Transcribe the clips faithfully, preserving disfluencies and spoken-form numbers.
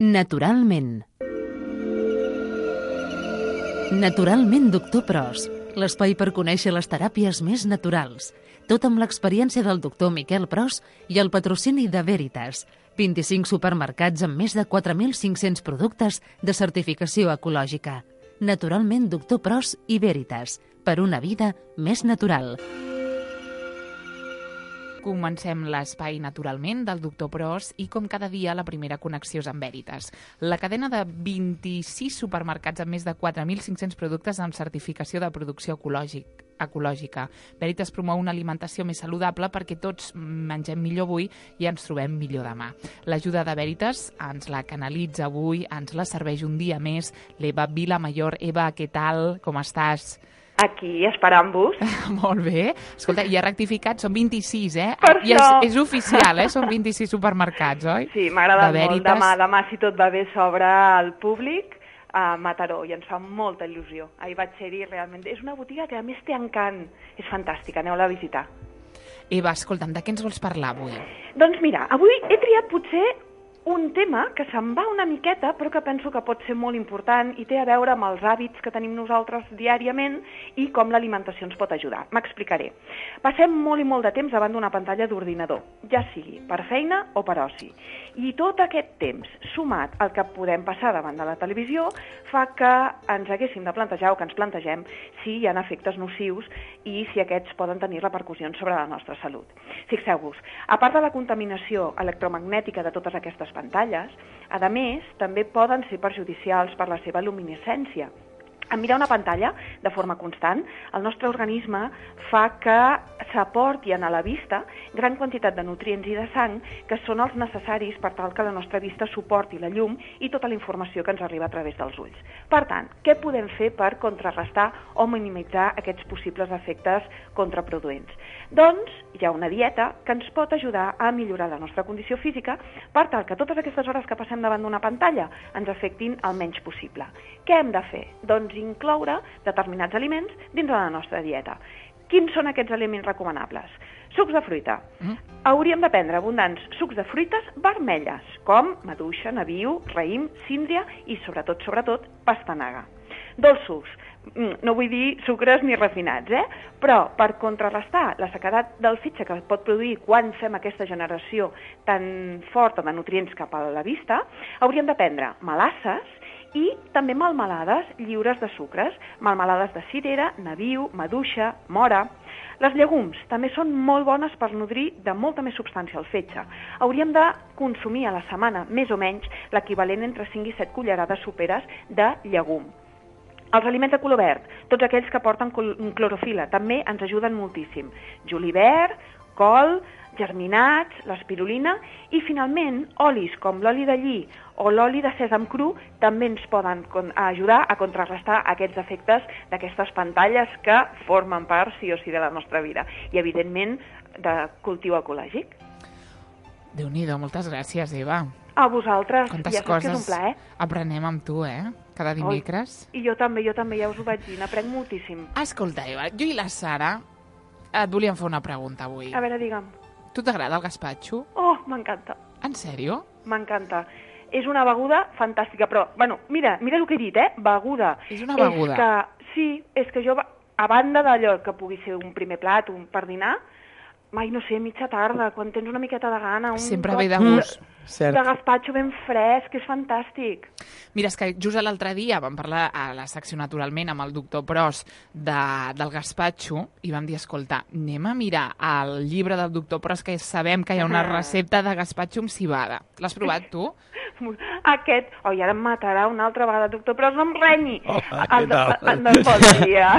Naturalment. Naturalment, doctor Pros, l'espai per conèixer les teràpies més naturals. Tot amb l'experiència del doctor Miquel Pros i el patrocini de Veritas. vint-i-cinc supermercats amb més de quatre mil cinc-cents productes de certificació ecològica. Naturalment, doctor Pros i Veritas. Per una vida més natural. Comencem l'espai Naturalment del doctor Pros i, com cada dia, la primera connexió és amb Veritas. La cadena de vint-i-sis supermercats amb més de quatre mil cinc-cents productes amb certificació de producció ecològic, ecològica. Veritas promou una alimentació més saludable perquè tots mengem millor avui i ens trobem millor demà. L'ajuda de Veritas ens la canalitza avui, ens la serveix un dia més l'Eva Vilamayor. Eva, què tal? Com estàs? Aquí, esperant-vos. Molt bé. Escolta, ja ha rectificat, són vint-i-sis, eh? Per I és, això. és oficial, eh? Són vint-i-sis supermercats, oi? Sí, m'ha agradat De molt. Veritas. Demà, demà, si tot va bé, s'obre al públic a Mataró i ens fa molta il·lusió. Ahir vaig ser-hi, realment. És una botiga que a més té encant. És fantàstica, aneu-la a visitar. Eva, escolta'm, de què ens vols parlar avui? Doncs mira, avui he triat potser un tema que se'n va una miqueta, però que penso que pot ser molt important i té a veure amb els hàbits que tenim nosaltres diàriament i com l'alimentació ens pot ajudar. M'explicaré. Passem molt i molt de temps davant d'una pantalla d'ordinador, ja sigui per feina o per oci. I tot aquest temps, sumat al que podem passar davant de la televisió, fa que ens haguéssim de plantejar o que ens plantegem si hi ha efectes nocius i si aquests poden tenir repercussions sobre la nostra salut. Fixeu-vos, a part de la contaminació electromagnètica de totes aquestes pantalles, a més, també poden ser perjudicials per la seva luminescència. En mirar una pantalla de forma constant, el nostre organisme fa que s'aportin a la vista gran quantitat de nutrients i de sang que són els necessaris per tal que la nostra vista suporti la llum i tota la informació que ens arriba a través dels ulls. Per tant, què podem fer per contrarrestar o minimitzar aquests possibles efectes contraproduents? Doncs hi ha una dieta que ens pot ajudar a millorar la nostra condició física per tal que totes aquestes hores que passem davant d'una pantalla ens afectin el menys possible. Què hem de fer? Doncs incloure determinats aliments dins de la nostra dieta. Quins són aquests aliments recomanables? Sucs de fruita. Mm. Hauríem de prendre abundants sucs de fruites vermelles, com maduixa, nabiu, raïm, síndria i, sobretot, sobretot, pastanaga. Dolços. No vull dir sucres ni refinats, eh? Però per contrarrestar la sequedat del fetge que pot produir quan fem aquesta generació tan forta de nutrients cap a la vista, hauríem de prendre melasses i també melmelades lliures de sucres, melmelades de cirera, nabiu, maduixa, mora. Les llegums també són molt bones per nodrir de molta més substància el fetge. Hauríem de consumir a la setmana, més o menys, l'equivalent entre cinc i set cullerades soperes de llegum. Els aliments de color verd, tots aquells que porten clorofila, també ens ajuden moltíssim. Julivert, col, germinats, l'espirulina i, finalment, olis com l'oli de lli o l'oli de sèsam cru també ens poden ajudar a contrarrestar aquests efectes d'aquestes pantalles que formen part, sí o sí, de la nostra vida. I, evidentment, de cultiu ecològic. Déu-n'hi-do, moltes gràcies, Eva. A vosaltres. Quantes ja saps que és un coses plaer. aprenem amb tu, eh? Cada dimecres. Oi, I jo també, jo també, ja us ho vaig dir, n'aprenc moltíssim. Escolta, Eva, jo i la Sara et volíem fer una pregunta avui. A veure, digue'm. Tu t'agrada el gaspatxo? Oh, m'encanta. En sèrio? M'encanta. És una beguda fantàstica, però, bueno, mira, mira el que he dit, eh? Beguda. És una beguda. És que, sí, és que jo, a banda d'allò que pugui ser un primer plat, un per dinar, mai, no sé, mitja tarda, quan tens una miqueta de gana, un Sempre cop ve de gust. Cert. de gaspatxo ben fresc, és fantàstic. Mira, és que just l'altre dia vam parlar a la secció Naturalment amb el doctor Pros de, del gaspatxo i vam dir, escolta, anem a mirar el llibre del doctor Pros que sabem que hi ha una recepta de gaspatxo amb cibada. L'has provat tu? Aquest, oh, i ara em matarà una altra vegada, doctor, però no em renyi. Hola, El què de- tal? el de bon dia.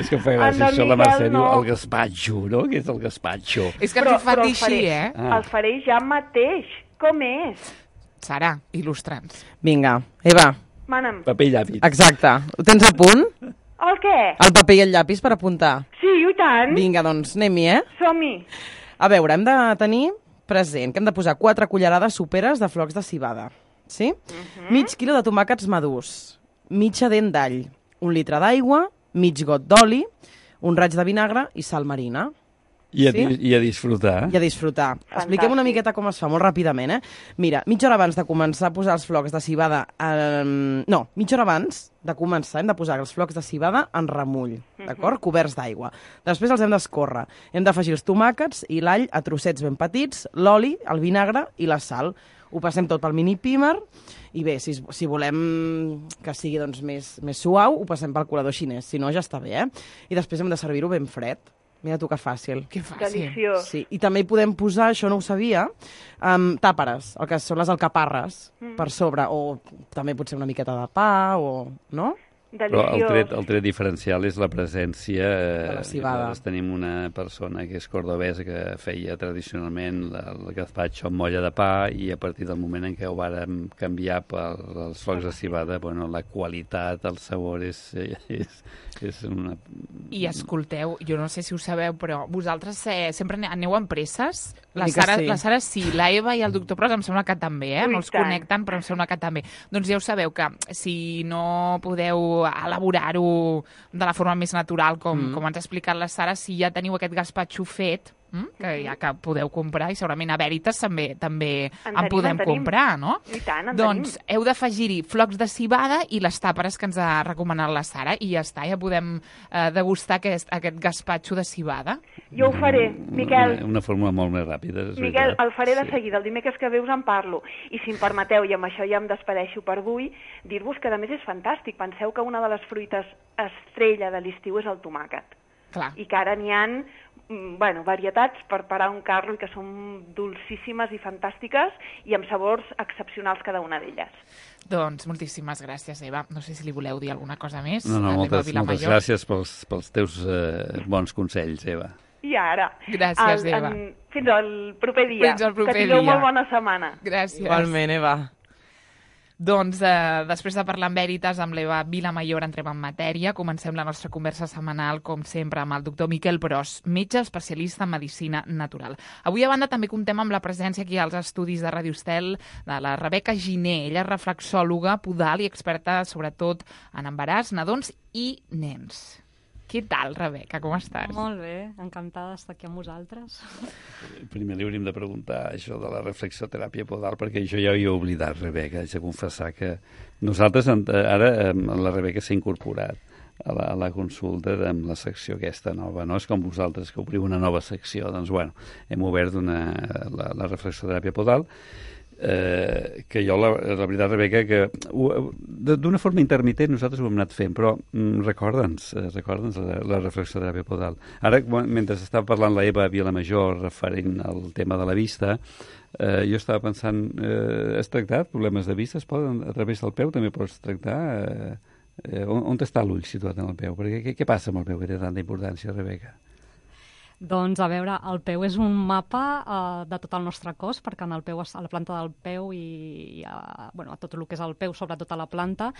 És que em fa El gràcia de això, la Miguel Mercè diu no. el gaspatxo, no? Què és el gaspatxo? És que Però- ens ho fa però dir el així, faré. eh? Ah. El faré ja mateix. Com és? Sara, il·lustra'ns. Vinga, Eva, Mana'm. Paper i llapis. exacte. Ho tens a punt? El què? El paper i el llapis per apuntar. Sí, i tant. Vinga, doncs anem-hi, eh? Som-hi. A veure, hem de tenir present que hem de posar quatre cullerades soperes de flocs de civada. Sí? Uh-huh. Mig quilo de tomàquets madurs, mitja dent d'all, un litre d'aigua, mig got d'oli, un raig de vinagre i sal marina. I a, sí? I a disfrutar. I a disfrutar. Fantàstic. Expliquem una miqueta com es fa, molt ràpidament, eh? Mira, mitja hora abans de començar a posar els flocs de civada... Eh, no, mitja hora abans de començar hem de posar els flocs de civada en remull, d'acord? Coberts d'aigua. Després els hem d'escórrer. Hem d'afegir els tomàquets i l'all a trossets ben petits, l'oli, el vinagre i la sal. Ho passem tot pel mini pímer i bé, si, si volem que sigui doncs, més, més suau, ho passem pel colador xinès. Si no, ja està bé, eh? I després hem de servir-ho ben fred. Mira tu que fàcil. Que fàcil. Deliciós. Sí, i també hi podem posar, això no ho sabia, um, tàperes, el que són les alcaparres, mm. per sobre, o també potser una miqueta de pa, o... no? Però el Deliciós. tret, el tret diferencial és la presència... De la civada. Nosaltres tenim una persona que és cordobesa que feia tradicionalment la, el gazpacho amb molla de pa i a partir del moment en què ho vàrem canviar pels flocs de civada, bueno, la qualitat, el sabor és, és, és una... I escolteu, jo no sé si ho sabeu, però vosaltres eh, sempre aneu amb presses? La Una mica Sara, sí. la Sara sí, la Eva i el doctor Pros em sembla que també, eh? Ui, No els tant. connecten, però em sembla que també. Doncs ja ho sabeu, que si no podeu elaborar-ho de la forma més natural, com, mm. com ens ha explicat la Sara, si ja teniu aquest gazpacho fet, mm? que ja que podeu comprar, i segurament a Veritas també també En en, tenim, podem en tenim. comprar, no? I tant, en doncs tenim. heu d'afegir-hi flocs de civada i les tàperes que ens ha recomanat la Sara, i ja està, ja podem eh, degustar aquest, aquest gazpacho de civada. Jo ho faré, Miquel. Una, una fórmula molt més ràpida. És Miquel, veritat. el faré de Sí. seguida, el dimecres que ve us en parlo. I si em permeteu, i amb això ja em despedeixo per avui, dir-vos que a més és fantàstic. Penseu que una de les fruites estrella de l'estiu és el tomàquet. Clar. I que ara n'hi ha mm, bueno, varietats per parar un carro i que són dolcíssimes i fantàstiques i amb sabors excepcionals cada una d'elles. Doncs moltíssimes gràcies, Eva. No sé si li voleu dir alguna cosa més. No, no, a l'Eva moltes, moltes Vilamajor. gràcies pels, pels teus eh, bons consells, Eva. I ara... Gràcies, el- Eva. en- Fins al proper dia. Fins al proper que tingueu dia. molt bona setmana. Gràcies. Igualment, Eva. Doncs eh, després de parlar amb Veritas, amb l'Eva Vilamajor, entrem en matèria. Comencem la nostra conversa setmanal, com sempre, amb el doctor Miquel Pros, metge especialista en medicina natural. Avui, a banda, també comptem amb la presència aquí als estudis de Radio Estel de la Rebeca Giner. Ella és reflexòloga, podal i experta, sobretot, en embaràs, nadons i nens. Què tal, Rebeca? Com estàs? Molt bé, encantada d'estar aquí amb vosaltres. Primer li hauríem de preguntar això de la reflexoteràpia podal, perquè jo ja ho havia oblidat, Rebeca. Haig de confessar que nosaltres, ara, la Rebeca s'ha incorporat a la, a la consulta amb la secció aquesta nova, no? És com vosaltres que obriu una nova secció. Doncs, bueno, hem obert una, la, la reflexoteràpia podal, Eh, que jo, la, la veritat, Rebeca, que ho- de- d'una forma intermitent nosaltres ho hem anat fent, però mm, recorda'ns, eh, recorda'ns la, la reflexoteràpia podal. Ara, quan- mentre estava parlant la Eva Vilamajor referent al tema de la vista, eh, jo estava pensant, eh, has tractat problemes de vista? Es poden, a través del peu també pots tractar? Eh, eh, on, on està l'ull situat en el peu? Perquè què, què passa amb el peu que té tanta importància, Rebeca? Doncs, a veure, el peu és un mapa uh, de tot el nostre cos, perquè en el peu, a la planta del peu i, i a, bueno, a tot el que és el peu, sobretot a la planta,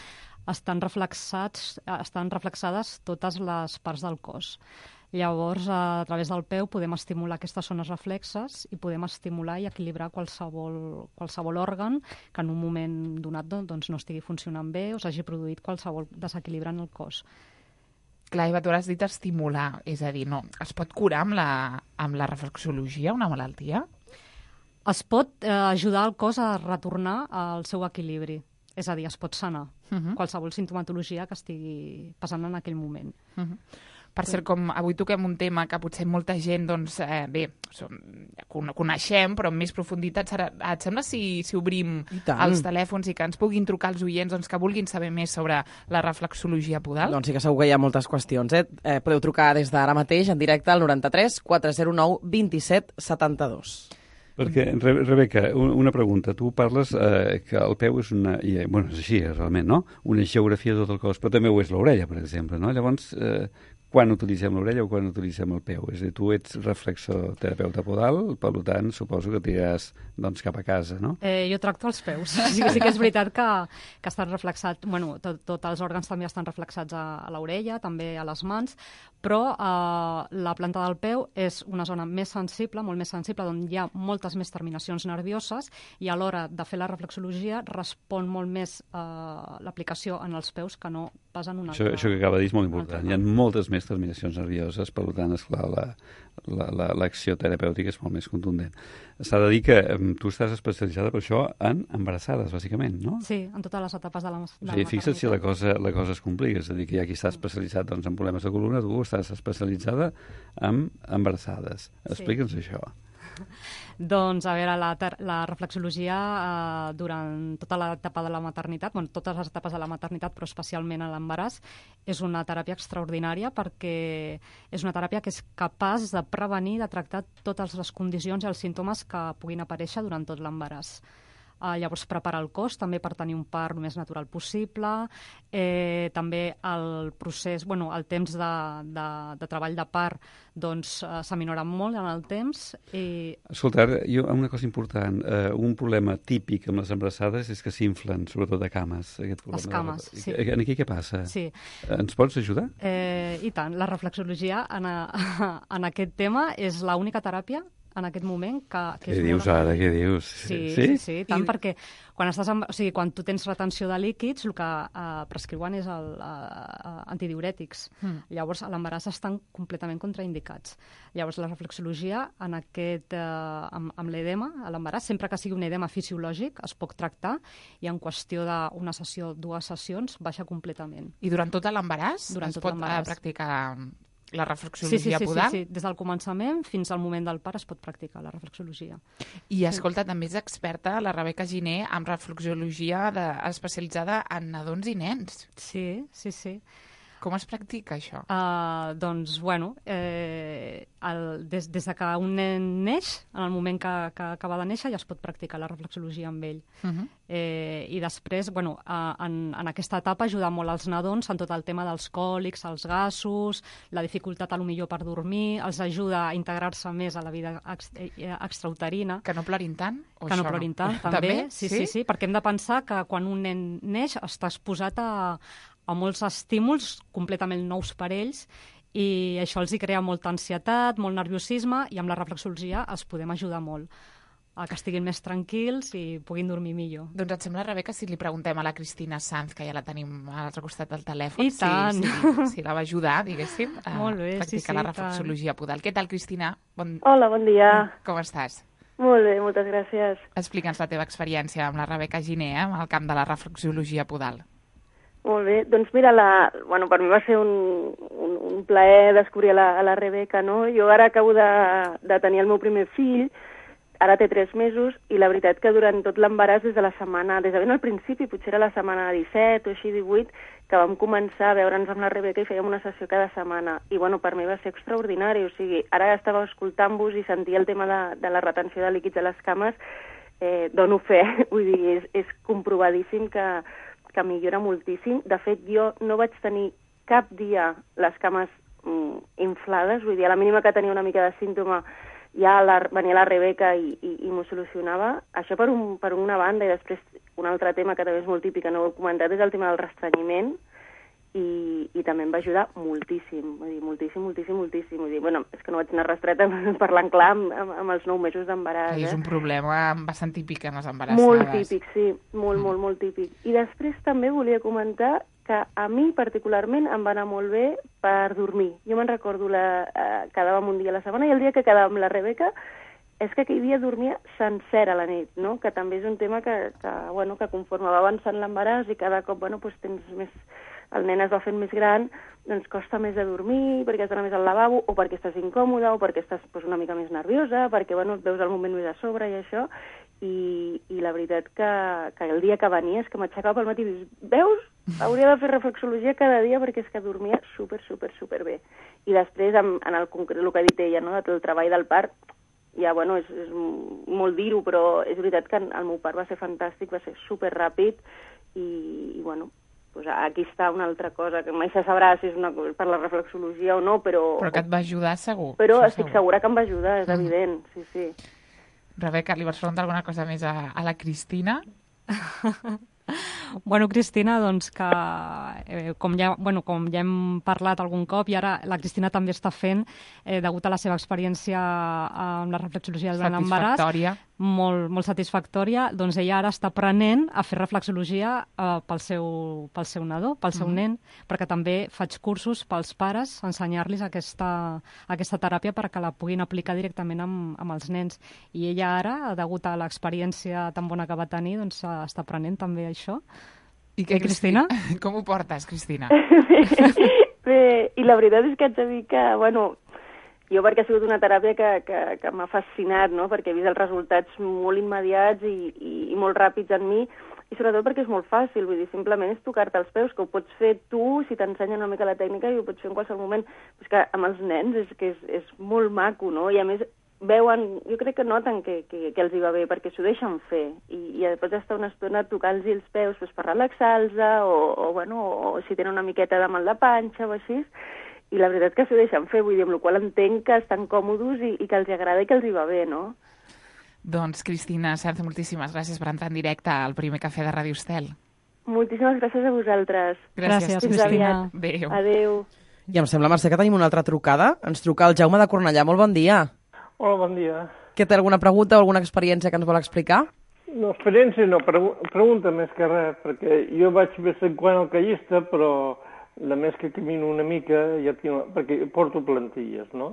estan reflexats, estan reflexades totes les parts del cos. Llavors, a través del peu podem estimular aquestes zones reflexes i podem estimular i equilibrar qualsevol, qualsevol òrgan que en un moment donat doncs, no estigui funcionant bé o s'hagi produït qualsevol desequilibre en el cos. Clar, Eva, tu has dit estimular, és a dir, no, es pot curar amb la, amb la reflexologia una malaltia? Es pot eh, ajudar el cos a retornar al seu equilibri, és a dir, es pot sanar Uh -huh. qualsevol sintomatologia que estigui passant en aquell moment. Uh -huh. Per cert, com avui toquem un tema que potser molta gent, doncs, eh, bé, som, ja coneixem, però amb més profunditat, Sara, et sembla si, si obrim I tant. els telèfons i que ens puguin trucar els oients doncs, que vulguin saber més sobre la reflexologia podal? Doncs sí que segur que hi ha moltes qüestions. Eh? Eh, podeu trucar des d'ara mateix en directe al noranta-tres quatre zero nou vint set setanta-dos. Perquè, Re- Rebeca, un- una pregunta. Tu parles eh, que el peu és una... I, bueno, és així, realment, no? Una geografia de tot el cos, però també ho és l'orella, per exemple, no? Llavors, eh, quan utilitzem l'orella o quan utilitzem el peu? És a dir, tu ets reflexoterapeuta podal, per tant, suposo que t'iràs doncs, cap a casa, no? Eh, jo tracto els peus. Sí, sí que és veritat que, que estan reflexats, bueno, tots tot els òrgans també estan reflexats a, a l'orella, també a les mans, però eh, la planta del peu és una zona més sensible, molt més sensible, on hi ha moltes més terminacions nervioses i a l'hora de fer la reflexologia respon molt més eh, l'aplicació en els peus que no pas en una Això, altra... això que acaba de dir és molt important. Hi ha moltes més terminacions nervioses, per tant, esclar, l'acció la, la, l'acció terapèutica és molt més contundent. S'ha de dir que um, tu estàs especialitzada per això en embarassades, bàsicament, no? Sí, en totes les etapes de la, de o sigui, la fixa't si la cosa, la cosa es complica, és a dir, que hi ha qui està especialitzat doncs, en problemes de columna, tu estàs especialitzada en embarassades. Explica'ns sí. això. Doncs, a veure, la, la reflexologia eh, durant tota l'etapa de la maternitat, bueno, totes les etapes de la maternitat, però especialment a l'embaràs, és una teràpia extraordinària perquè és una teràpia que és capaç de prevenir, de tractar totes les condicions i els símptomes que puguin aparèixer durant tot l'embaràs. Uh, llavors, prepara el cos també per tenir un part el més natural possible. Eh, també el procés, bueno, el temps de, de, de treball de part doncs, uh, s'aminora molt en el temps. I... Escolta, ara, jo, una cosa important, uh, un problema típic amb les embarassades és que s'inflen, sobretot de cames. Aquest les cames, de... sí. Aquí què passa? Sí. Ens pots ajudar? Eh, I tant, la reflexologia en, a, en aquest tema és l'única teràpia en aquest moment que... que què dius ara, què dius? Sí, sí, sí, sí tant, I... perquè quan, estàs amb, o sigui, quan tu tens retenció de líquids, el que uh, prescriuen és el, uh, antidiurètics. Mm. Llavors, a l'embaràs estan completament contraindicats. Llavors, la reflexologia, en aquest, uh, amb, amb l'edema, a l'embaràs, sempre que sigui un edema fisiològic, es pot tractar i en qüestió d'una sessió, dues sessions, baixa completament. I durant tot l'embaràs es pot uh, practicar... la reflexologia sí, sí, sí, podal? Sí, sí, des del començament fins al moment del part es pot practicar la reflexologia. I escolta, sí. també és experta la Rebeca Giner en reflexologia de, especialitzada en nadons i nens. Sí, sí, sí. Com es practica això? Uh, doncs, bueno, eh, el, des, des de que un nen neix, en el moment que, que acaba de néixer, ja es pot practicar la reflexologia amb ell. Uh -huh. eh, I després, bueno, uh, en, en aquesta etapa ajuda molt als nadons en tot el tema dels còlics, els gasos, la dificultat a lo millor per dormir, els ajuda a integrar-se més a la vida ex, eh, extrauterina. Que no plorin tant? O que no plorin tant, no? també. també? Sí, sí, sí, sí, perquè hem de pensar que quan un nen neix està exposat a a molts estímuls completament nous per ells i això els hi crea molta ansietat, molt nerviosisme i amb la reflexologia els podem ajudar molt a que estiguin més tranquils i puguin dormir millor. Doncs et sembla, Rebeca, si li preguntem a la Cristina Sanz, que ja la tenim a l'altre costat del telèfon, I tant. si, si, si la va ajudar, diguéssim, a molt bé, practicar sí, sí, la reflexologia podal. Què tal, Cristina? Bon... Hola, bon dia. Com estàs? Molt bé, moltes gràcies. Explica'ns la teva experiència amb la Rebeca Giner, eh, al camp de la reflexologia podal. Molt bé, doncs mira, la, bueno, per mi va ser un, un, un plaer descobrir a la, a la Rebeca, no? Jo ara acabo de, de tenir el meu primer fill, ara té tres mesos, i la veritat que durant tot l'embaràs, des de la setmana, des de ben al principi, potser era la setmana disset o així, divuit, que vam començar a veure'ns amb la Rebeca i fèiem una sessió cada setmana. I bueno, per mi va ser extraordinari, o sigui, ara estava escoltant-vos i sentia el tema de, de la retenció de líquids a les cames, eh, dono fe, vull dir, és, és comprovadíssim que que millora moltíssim. De fet, jo no vaig tenir cap dia les cames mm, inflades, vull dir, a la mínima que tenia una mica de símptoma ja la, venia la Rebeca i, i, i m'ho solucionava. Això per, un, per una banda, i després un altre tema que també és molt típic, que no ho he comentat, és el tema del restrenyiment, i, i també em va ajudar moltíssim, vull dir, moltíssim, moltíssim, moltíssim. Vull dir, bueno, és que no vaig anar restreta parlant clar amb, amb, amb els nou mesos d'embaràs. Eh? És un problema bastant típic en les embarassades. Molt típic, sí, molt, mm. molt, molt típic. I després també volia comentar que a mi particularment em va anar molt bé per dormir. Jo me'n recordo, la, eh, quedàvem un dia a la setmana i el dia que quedàvem amb la Rebeca és que aquell dia dormia sencera a la nit, no? Que també és un tema que, que, bueno, que conforme va avançant l'embaràs i cada cop, bueno, doncs tens més... el nen es va fent més gran, doncs costa més de dormir, perquè has d'anar més al lavabo, o perquè estàs incòmoda, o perquè estàs doncs, una mica més nerviosa, perquè bueno, et veus el moment més a sobre i això, i, i la veritat que, que el dia que venia és que m'aixecava pel matí i dius, veus? Hauria de fer reflexologia cada dia perquè és que dormia super, super, super bé. I després, en, en el concret, el que ha dit ella, no?, de tot el treball del part, ja, bueno, és, és molt dir-ho, però és veritat que el meu part va ser fantàstic, va ser super ràpid, i, i bueno, pues aquí està una altra cosa, que mai se sabrà si és una, per la reflexologia o no, però... Però que et va ajudar, segur. Però Això estic segur. segura que em va ajudar, és mm. evident, sí, sí. Rebeca, li vols preguntar alguna cosa més a, a la Cristina? Bueno, Cristina, doncs que eh, com, ja, bueno, com ja hem parlat algun cop, i ara la Cristina també està fent, eh, degut a la seva experiència amb la reflexologia durant l'embaràs, molt, molt satisfactòria, doncs ella ara està aprenent a fer reflexologia eh, pel, seu, pel seu nadó, pel seu mm. nen, perquè també faig cursos pels pares, ensenyar-los aquesta, aquesta teràpia perquè la puguin aplicar directament amb, amb els nens. I ella ara, degut a l'experiència tan bona que va tenir, doncs està aprenent també això. I què, Cristina? Com ho portes, Cristina? Bé, i la veritat és que haig de dir que, bueno, jo perquè ha sigut una teràpia que, que, que m'ha fascinat, no?, perquè he vist els resultats molt immediats i, i, i molt ràpids en mi, i sobretot perquè és molt fàcil, vull dir, simplement és tocar-te els peus, que ho pots fer tu, si t'ensenyen una mica la tècnica, i ho pots fer en qualsevol moment. Però és que amb els nens és que és, és molt maco, no?, i a més veuen, jo crec que noten que, que, que els hi va bé, perquè s'ho deixen fer, i, i pots estar una estona tocant-los els peus pues, per relaxar-los, o, o, bueno, o si tenen una miqueta de mal de panxa o així, i la veritat que s'ho deixen fer, vull dir, amb la qual entenc que estan còmodes i, i que els agrada i que els hi va bé, no? Doncs, Cristina Serce, moltíssimes gràcies per entrar en directe al primer cafè de Ràdio Estel. Moltíssimes gràcies a vosaltres. Gràcies, gràcies Cristina. Adéu. Adéu. I em sembla, Mercè, que tenim una altra trucada. Ens truca el Jaume de Cornellà. Molt bon dia. Hola, bon dia. Que té alguna pregunta o alguna experiència que ens vol explicar? No, experiència no, pregu pregunta més que res, perquè jo vaig més en quant al callista, però a més que camino una mica, ja tinc, perquè porto plantilles, no?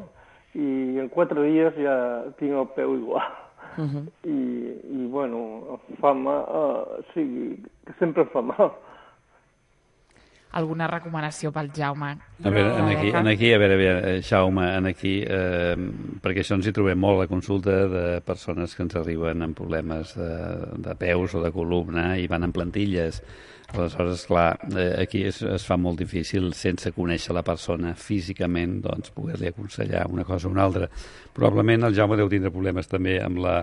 I en quatre dies ja tinc el peu igual. Uh -huh. I, I, bueno, fa mal, uh, sí, que sempre em fa mal. Alguna recomanació pel Jaume? A veure, en aquí, en aquí a veure, a veure, Jaume, en aquí, eh, perquè això ens hi trobem molt, la consulta de persones que ens arriben amb problemes de, de peus o de columna i van en plantilles. Aleshores, clar, eh, aquí es, es fa molt difícil, sense conèixer la persona físicament, doncs, poder-li aconsellar una cosa o una altra. Probablement el Jaume deu tindre problemes també amb la,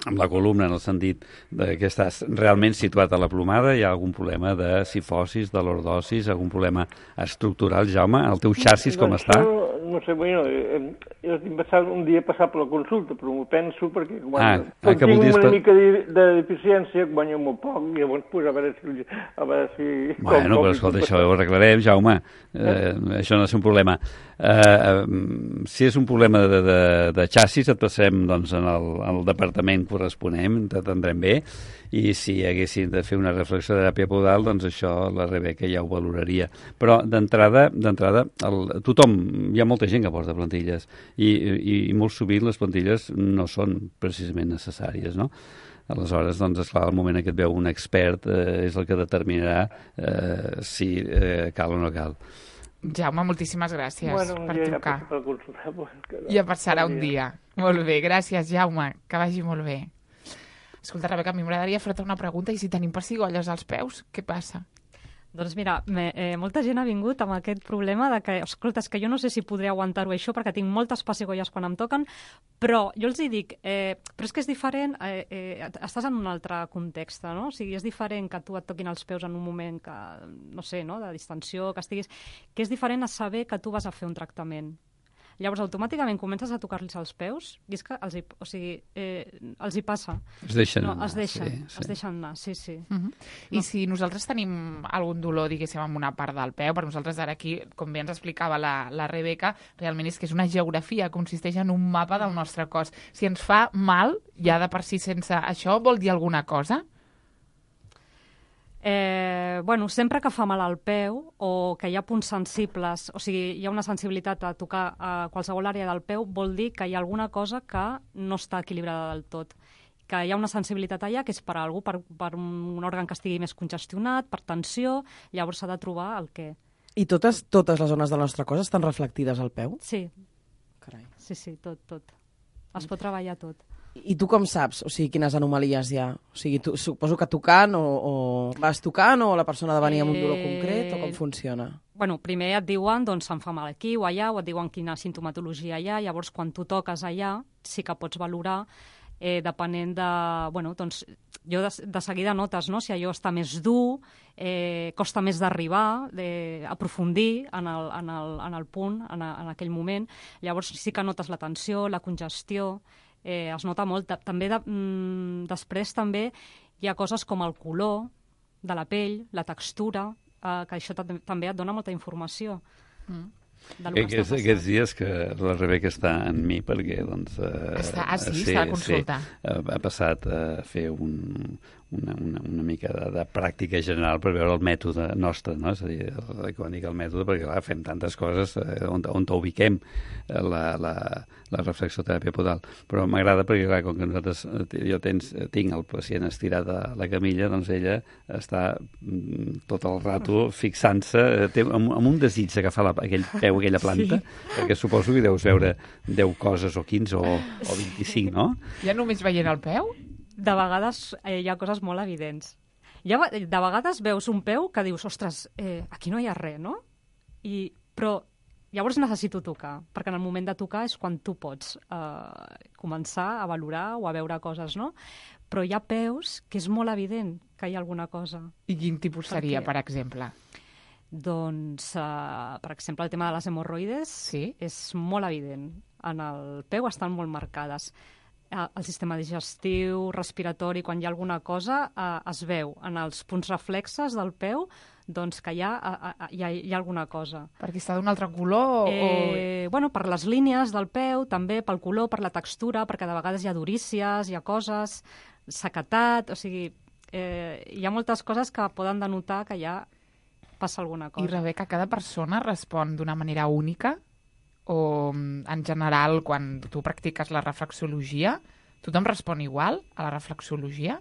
amb la columna, en el sentit de que estàs realment situat a la plomada. Hi ha algun problema de sifosis, de lordosis, algun problema estructural, Jaume? El teu xarxis com doncs està? No, no sé, bueno, eh, jo tinc passat un dia passar per la consulta, però m'ho penso perquè quan, ah, quan ah, tinc una pa... mica de, de deficiència, guanyo molt poc, i llavors pues, a veure si... A veure si bueno, com, però escolta, això ho arreglarem, Jaume. Eh, eh? Això no és un problema. Eh, eh, si és un problema de, de, de xassis, et passarem doncs, en, el, en el departament corresponent, t'atendrem bé, i si haguessin de fer una reflexió de teràpia podal, doncs això la Rebeca ja ho valoraria. Però d'entrada, d'entrada, tothom, hi ha molta gent que porta plantilles, i, i, i molt sovint les plantilles no són precisament necessàries, no? Aleshores, doncs, esclar, al moment que et veu un expert eh, és el que determinarà eh, si eh, cal o no cal. Jaume, moltíssimes gràcies bueno, per trucar. Ja, per consultar, pues, que no. Ja passarà un dia. Molt bé, gràcies, Jaume. Que vagi molt bé. Escolta, Rebeca, a mi m'agradaria fer-te una pregunta. I si tenim pessigolles als peus, què passa? Doncs mira, me, eh, molta gent ha vingut amb aquest problema de que, escolta, és que jo no sé si podré aguantar-ho això perquè tinc moltes pessigolles quan em toquen, però jo els hi dic, eh, però és que és diferent, eh, eh, estàs en un altre context, no? O sigui, és diferent que tu et toquin els peus en un moment que, no sé, no?, de distensió, que estiguis, que és diferent a saber que tu vas a fer un tractament. Llavors, automàticament comences a tocar-los els peus i és que els hi, o sigui, eh, els hi passa. Es deixen no, anar. Es deixen, sí, sí. es deixen anar, sí, sí. Uh -huh. I no. Si nosaltres tenim algun dolor, diguéssim, en una part del peu, per nosaltres ara aquí, com bé ens explicava la, la Rebeca, realment és que és una geografia, consisteix en un mapa del nostre cos. Si ens fa mal, ja de per si sense això, vol dir alguna cosa? Eh, bueno, sempre que fa mal al peu o que hi ha punts sensibles, o sigui, hi ha una sensibilitat a tocar a qualsevol àrea del peu, vol dir que hi ha alguna cosa que no està equilibrada del tot. Que hi ha una sensibilitat allà que és per a algú, per, per un òrgan que estigui més congestionat, per tensió, llavors s'ha de trobar el què. I totes, totes les zones del nostre cos estan reflectides al peu? Sí. Carai. Sí, sí, tot, tot. Es pot treballar tot. I tu com saps, o sigui, quines anomalies hi ha? O sigui, tu, suposo que tocant o, o vas tocant o la persona ha de venir amb un dolor concret o com funciona? Bueno, primer et diuen, doncs, em fa mal aquí o allà, o et diuen quina sintomatologia hi ha, llavors quan tu toques allà sí que pots valorar, eh, depenent de... Bueno, doncs, jo de, de seguida notes, no?, si allò està més dur, eh, costa més d'arribar, d'aprofundir en, el, en, el, en el punt, en, a, en aquell moment. Llavors sí que notes la tensió, la congestió, eh, es nota molt. També de, mm, després també hi ha coses com el color de la pell, la textura, eh, que això també et dona molta informació. Mm. del que Aquests, està passant. aquests dies que la Rebeca està en mi perquè doncs, eh, Està, ah, sí? Està a consulta. Sí, ha passat a fer un, una, una, una mica de, de pràctica general per veure el mètode nostre, no? És a dir, el, quan dic el mètode, perquè clar, fem tantes coses eh, on, on ubiquem eh, la, la, la reflexoteràpia podal. Però m'agrada perquè, clar, com que nosaltres, jo tens, tinc el pacient estirat a la camilla, doncs ella està mm, tot el rato fixant-se, té, amb, amb un desig d'agafar aquell peu, aquella planta, sí. Perquè suposo que deus veure deu coses o quinze o, o vint-i-cinc, no? Ja només veient el peu? De vegades eh, hi ha coses molt evidents. Ja, de vegades veus un peu que dius, ostres, eh, aquí no hi ha res, no? I, però llavors necessito tocar, perquè en el moment de tocar és quan tu pots eh, començar a valorar o a veure coses, no? Però hi ha peus que és molt evident que hi ha alguna cosa. I quin tipus seria, Perquè... per exemple? Doncs, uh, per exemple, el tema de les hemorroides sí? és molt evident. En el peu estan molt marcades. Uh, el sistema digestiu, respiratori, quan hi ha alguna cosa, uh, es veu en els punts reflexes del peu doncs que hi ha, uh, uh, hi ha, hi ha alguna cosa. Perquè està d'un altre color? Eh, o... bueno, per les línies del peu, també pel color, per la textura, perquè de vegades hi ha durícies, hi ha coses, sequetat, o sigui, eh, hi ha moltes coses que poden denotar que hi ha passa alguna cosa. I, Rebeca, cada persona respon d'una manera única? O, en general, quan tu practiques la reflexologia, tothom respon igual a la reflexologia?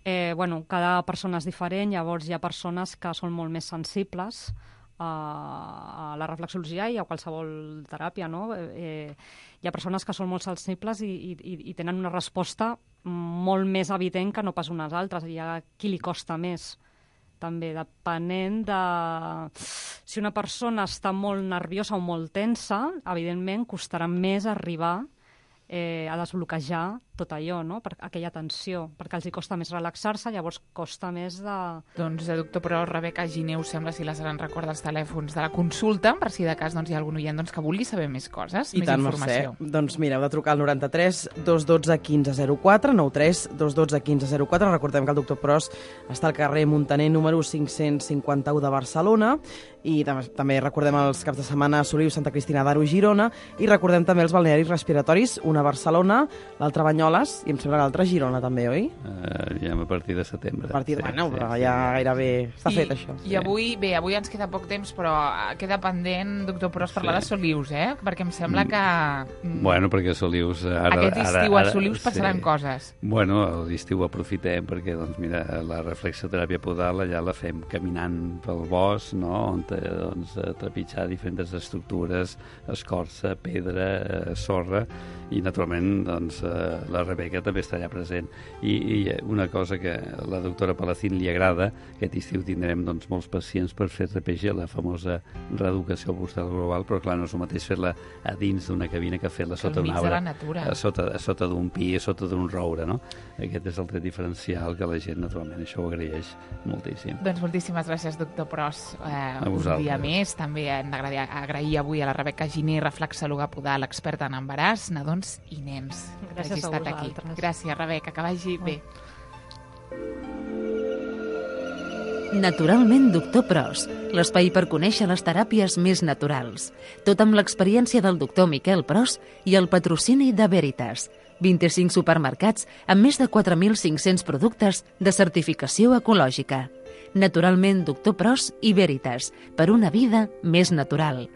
Eh, bueno, cada persona és diferent, llavors hi ha persones que són molt més sensibles a, a la reflexologia i a qualsevol teràpia, no? Eh, hi ha persones que són molt sensibles i, i, i tenen una resposta molt més evident que no pas unes altres. Hi ha qui li costa més. També depenent de... Si una persona està molt nerviosa o molt tensa, evidentment costarà més arribar eh, a desbloquejar tot allò, no? Per aquella tensió, perquè els hi costa més relaxar-se, llavors costa més de... Doncs, doctor, però Rebeca Gineu sembla, si la seran recorda els telèfons de la consulta, per si de cas doncs, hi ha algun oient doncs, que vulgui saber més coses, I més tant, informació. Mercè. Doncs mira, heu de trucar al noranta-tres dos dotze quinze zero quatre, nou tres dos dotze quinze zero quatre. Recordem que el doctor Pros està al carrer Muntaner número cinc-cents cinquanta-u de Barcelona, i també, també recordem els caps de setmana a Soliu, Santa Cristina d'Aro, Girona, i recordem també els balnearis respiratoris, una a Barcelona, l'altra a Banyoles, i em sembla que l'altra a Girona també, oi? Uh, ja a partir de setembre. A partir de, sí, bueno, sí, però sí, ja sí. gairebé està I, fet, això. I avui, bé, avui ens queda poc temps, però queda pendent, doctor Pros, parlar sí. de Solius, eh? Perquè em sembla que... Mm, bueno, perquè Solius... Ara, aquest estiu ara, ara, a Solius passaran sí. coses. Bueno, l'estiu aprofitem perquè, doncs, mira, la reflexoteràpia podal allà la fem caminant pel bosc, no?, on te, doncs, trepitjar diferents estructures, escorça, pedra, eh, sorra, i naturalment doncs, eh, la Rebeca també està allà present. I, i una cosa que a la doctora Palacín li agrada, aquest estiu tindrem doncs, molts pacients per fer R P G, la famosa reeducació postal global, però clar, no és el mateix fer-la a dins d'una cabina que fer-la sota un arbre, a sota, a sota d'un pi, a sota d'un roure, no? Aquest és el tret diferencial que la gent naturalment això ho agraeix moltíssim. Doncs moltíssimes gràcies, doctor Pros. Eh, un dia més. També hem d'agrair avui a la Rebeca Giner, reflexòloga podal, experta en embaràs, nadons i nens. Gràcies a vosaltres. Aquí. Gràcies, Rebeca, que vagi oh. bé. Naturalment, doctor Pros, l'espai per conèixer les teràpies més naturals. Tot amb l'experiència del doctor Miquel Pros i el patrocini de Veritas. vint-i-cinc supermercats amb més de quatre mil cinc-cents productes de certificació ecològica. Naturalment, doctor Pros i Veritas, per una vida més natural.